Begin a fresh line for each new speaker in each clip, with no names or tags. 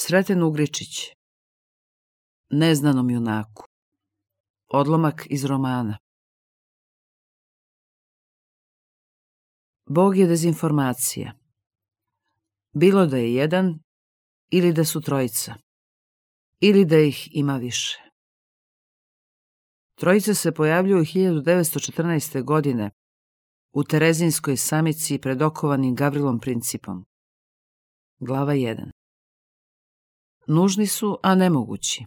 Sreten Ugričić. Neznanom junaku. Odlomak iz romana. Bog je dezinformacija. Bilo da je jedan ili da su trojica. Ili da ih ima više. Trojica se pojavljuju 1914. godine u Terezinskoj samici pred okovanim Gavrilom Principom. Glava 1. Nužni su, a nemogući.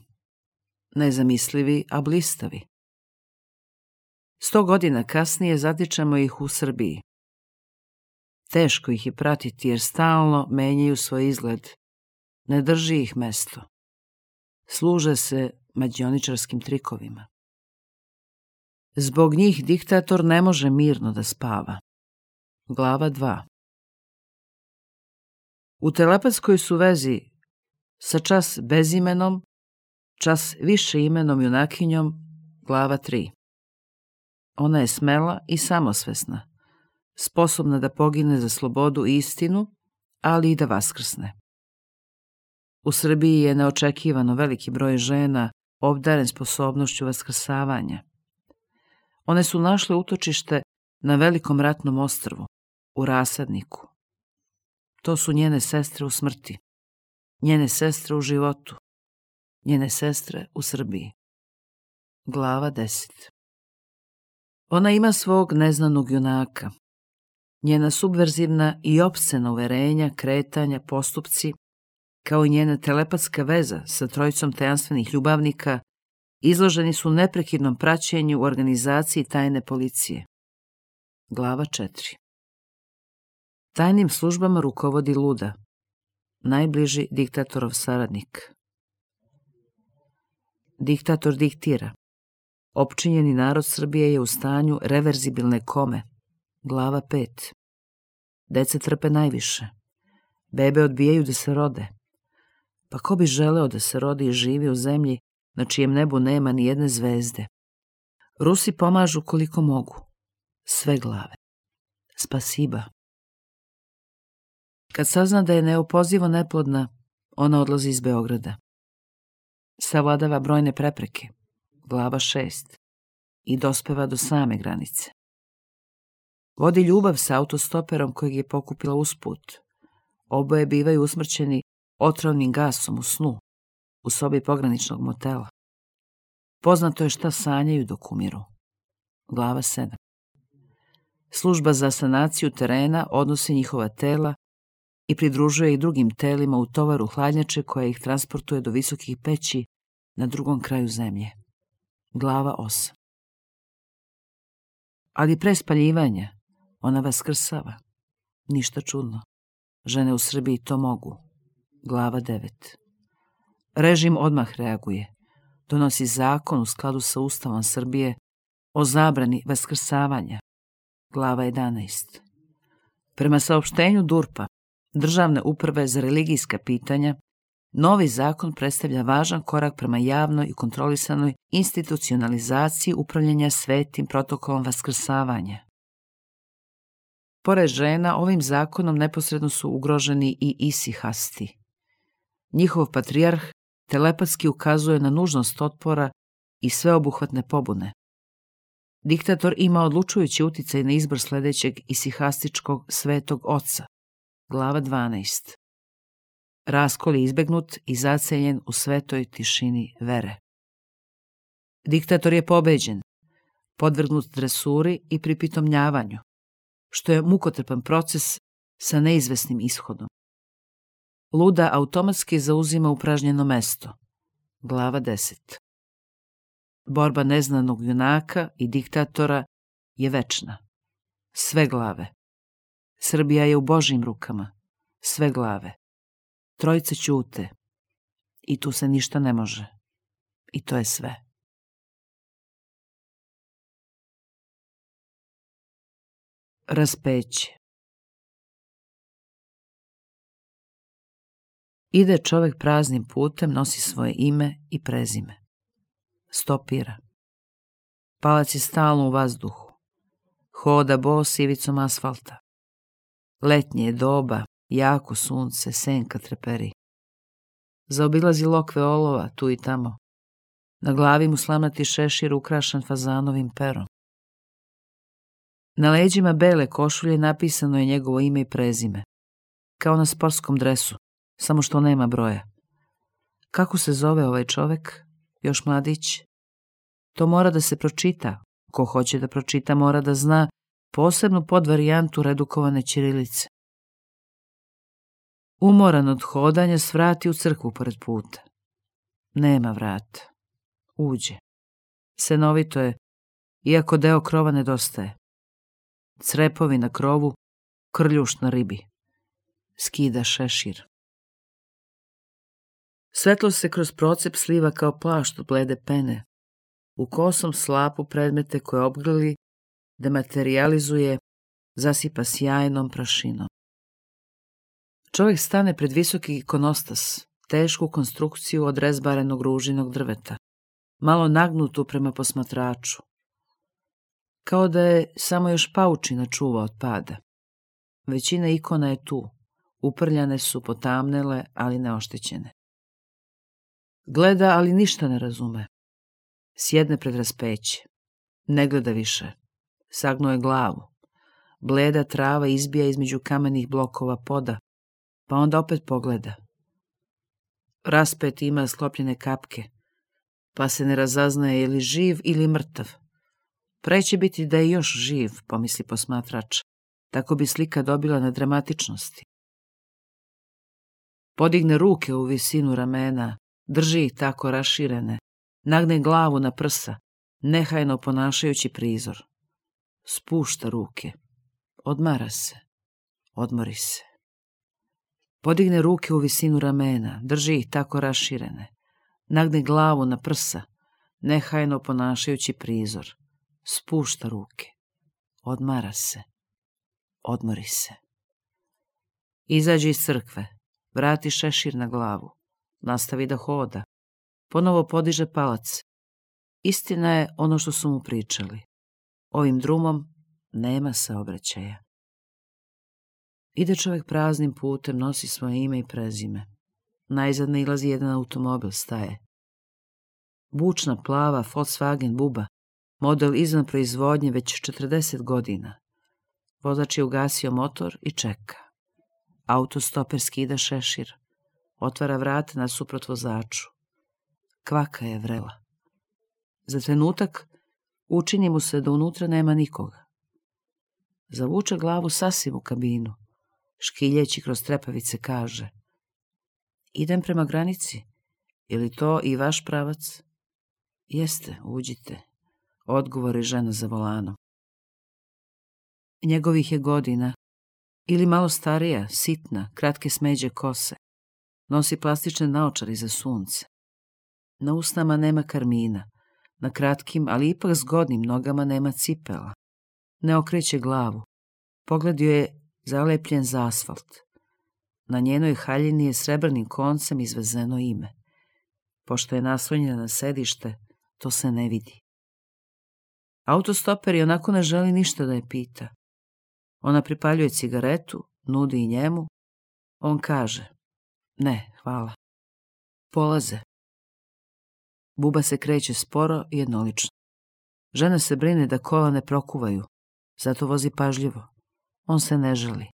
Nezamislivi, a blistavi. 100 godina kasnije zatičemo ih u Srbiji. Teško ih je pratiti jer stalno menjaju svoj izgled. Ne drži ih mesto. Služe se mađioničarskim trikovima. Zbog njih diktator ne može mirno da spava. Glava 2. U telepatskoj su vezi sa čas bezimenom, čas više imenom junakinjom, glava 3. Ona je smela i samosvesna, sposobna da pogine za slobodu i istinu, ali i da vaskrsne. U Srbiji je neočekivano veliki broj žena obdaren sposobnošću vaskrsavanja. One su našle utočište na velikom ratnom ostrvu, u Rasadniku. To su njene sestre u smrti, njene sestre u životu, njene sestre u Srbiji. Glava 10. Ona ima svog neznanog junaka. Njena subverzivna i opscena uverenja, kretanja, postupci, kao i njena telepatska veza sa trojicom tajanstvenih ljubavnika, izloženi su neprekidnom praćenju u organizaciji tajne policije. Glava 4. Tajnim službama rukovodi luda, najbliži diktatorov saradnik. Diktator diktira. Opčinjeni narod Srbije je u stanju reverzibilne kome. Glava 5. Deca trpe najviše. Bebe odbijaju da se rode. Pa ko bi želeo da se rodi i živi u zemlji na čijem nebu nema ni jedne zvezde? Rusi pomažu koliko mogu. Sve glave. Spasiba. Kad sazna da je neopozivo neplodna, ona odlazi iz Beograda. Savladava brojne prepreke. Glava 6. I dospeva do same granice. Vodi ljubav sa autostoperom kojeg je pokupila usput. Oboje bivaju usmrćeni otrovnim gasom u snu, u sobi pograničnog motela. Poznato je šta sanjaju dok umiru. Glava 7. Služba za sanaciju terena odnosi njihova tela i pridružuje ih drugim telima u tovaru hladnjače koja ih transportuje do visokih peći na drugom kraju zemlje. Glava 8. Ali pre spaljivanja ona vaskrsava. Ništa čudno. Žene u Srbiji to mogu. Glava 9. Režim odmah reaguje. Donosi zakon u skladu sa Ustavom Srbije o zabrani vaskrsavanja. Glava 11. Prema saopštenju DURP-a, Državne uprave za religijska pitanja, novi zakon predstavlja važan korak prema javnoj i kontrolisanoj institucionalizaciji upravljanja svetim protokolom vaskrsavanja. Pored žena, ovim zakonom neposredno su ugroženi i isihasti. Njihov patrijarh telepatski ukazuje na nužnost otpora i sveobuhvatne pobune. Diktator ima odlučujući uticaj na izbor sledećeg isihastičkog svetog oca. Glava 12. Raskol je izbegnut i zaceljen u svetoj tišini vere. Diktator je pobeđen, podvrgnut dresuri i pripitomljavanju, što je mukotrpan proces sa neizvesnim ishodom. Luda automatski zauzima upražnjeno mesto. Glava 10. Borba neznanog junaka i diktatora je večna. Sve glave. Srbija je u Božjim rukama. Sve glave. Trojice ćute. I tu se ništa ne može. I to je sve. Raspeće. Ide čovek praznim putem, nosi svoje ime i prezime. Stopira. Palac je stalno u vazduhu. Hoda bos ivicom asfalta. Letnje je doba, jako sunce, senka treperi. Zaobilazi lokve olova tu i tamo. Na glavi mu slamnati šešir ukrašen fazanovim perom. Na leđima bele košulje napisano je njegovo ime i prezime. Kao na sportskom dresu, samo što nema broja. Kako se zove ovaj čovek? Još mladić? To mora da se pročita. Ko hoće da pročita mora da zna posebnu podvarijantu redukovane ćirilice. Umoran od hodanja svrati u crkvu pored puta. Nema vrata. Uđe. Senovito je, iako deo krova nedostaje. Crepovi na krovu, krljuš na ribi. Skida šešir. Svetlo se kroz procep sliva kao plašt od blede pene. U kosom slapu predmete koje obgrli, dematerializuje, zasipa sjajnom prašinom. Čovjek stane pred visoki ikonostas, tešku konstrukciju od rezbarenog ružinog drveta, malo nagnutu prema posmatraču. Kao da je samo još paučina čuva od pada. Većina ikona je tu, uprljane su, potamnele, ali neoštećene. Gleda, ali ništa ne razume. Sjedne pred raspeće. Ne gleda više. Sagnuo je glavu. Bleda trava izbija između kamenih blokova poda, pa onda opet pogleda. Raspet ima sklopljene kapke, pa se ne razaznaje je li živ ili mrtav. Pre će biti da je još živ, pomisli posmatrač. Tako bi slika dobila na dramatičnosti. Podigne ruke u visinu ramena, drži ih tako raširene, nagne glavu na prsa, nehajno ponašajući prizor. Spušta ruke. Odmara se. Odmori se. Podigne ruke u visinu ramena, drži ih tako raširene, nagne glavu na prsa, nehajno ponašajući prizor. Spušta ruke. Odmara se. Odmori se. Izađe iz crkve, vrati šešir na glavu, nastavi da hoda, ponovo podiže palac. Istina je ono što su mu pričali. Ovim drumom nema saobraćaja. Ide čovjek praznim putem, nosi svoje ime i prezime. Najzad nailazi jedan automobil, staje. Bučna plava Volkswagen buba, model izvan proizvodnje već 40 godina. Vozač je ugasio motor i čeka. Autostoper skida šešir. Otvara vrata nasuprot vozaču. Kvaka je vrela. Za trenutak učini mu se da unutra nema nikoga. Zavuče glavu sasvim u kabinu. Škiljeći kroz trepavice kaže: idem prema granici. Je li to i vaš pravac? Jeste, uđite. Odgovori žena za volanom. Njegovih je godina, ili malo starija, sitna, kratke smeđe kose. Nosi plastične naočare za sunce. Na usnama nema karmina, na kratkim, ali ipak zgodnim nogama nema cipela. Ne okreće glavu. Pogled joj je zalepljen za asfalt. Na njenoj haljini je srebrnim koncem izvezeno ime. Pošto je naslonjena na sedište, to se ne vidi. Autostoper i onako ne želi ništa da je pita. Ona pripaljuje cigaretu, nudi i njemu. On kaže: ne, hvala. Polaze. Buba se kreće sporo i jednolično. Žena se brine da kola ne prokuvaju, zato vozi pažljivo. On se ne žali.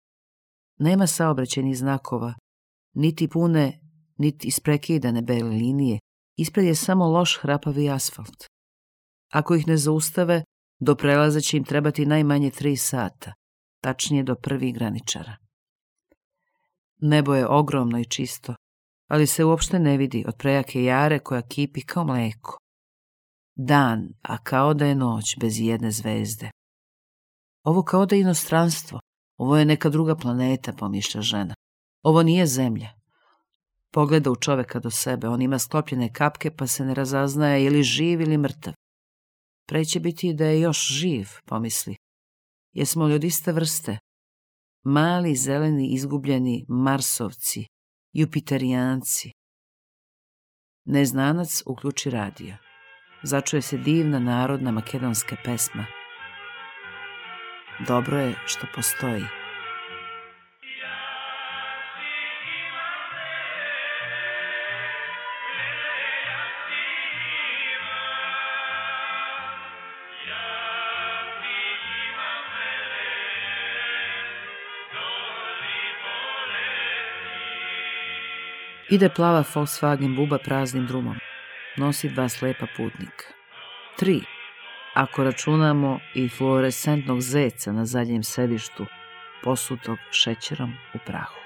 Nema saobraćajnih znakova, niti pune, niti isprekidane bele linije. Ispred je samo loš hrapavi asfalt. Ako ih ne zaustave, do prelaza će im trebati najmanje 3 sata, tačnije do prvih graničara. Nebo je ogromno i čisto, ali se uopšte ne vidi od prejake jare koja kipi kao mleko. Dan, a kao da je noć bez jedne zvezde. Ovo kao da je inostranstvo, ovo je neka druga planeta, pomišlja žena. Ovo nije zemlja. Pogleda u čoveka do sebe, on ima sklopljene kapke pa se ne razaznaje je li živ ili mrtav. Pre će biti da je još živ, pomisli. Jesmo li od iste vrste? Mali, zeleni, izgubljeni Marsovci, Jupiterijanci. Neznanac uključi radio. Začuje se divna narodna makedonska pesma. Dobro je što postoji. Ide plava Volkswagen buba praznim drumom. Nosi 2 slepa putnika. 3, ako računamo i fluorescentnog zeca na zadnjem sedištu, posutog šećerom u prahu.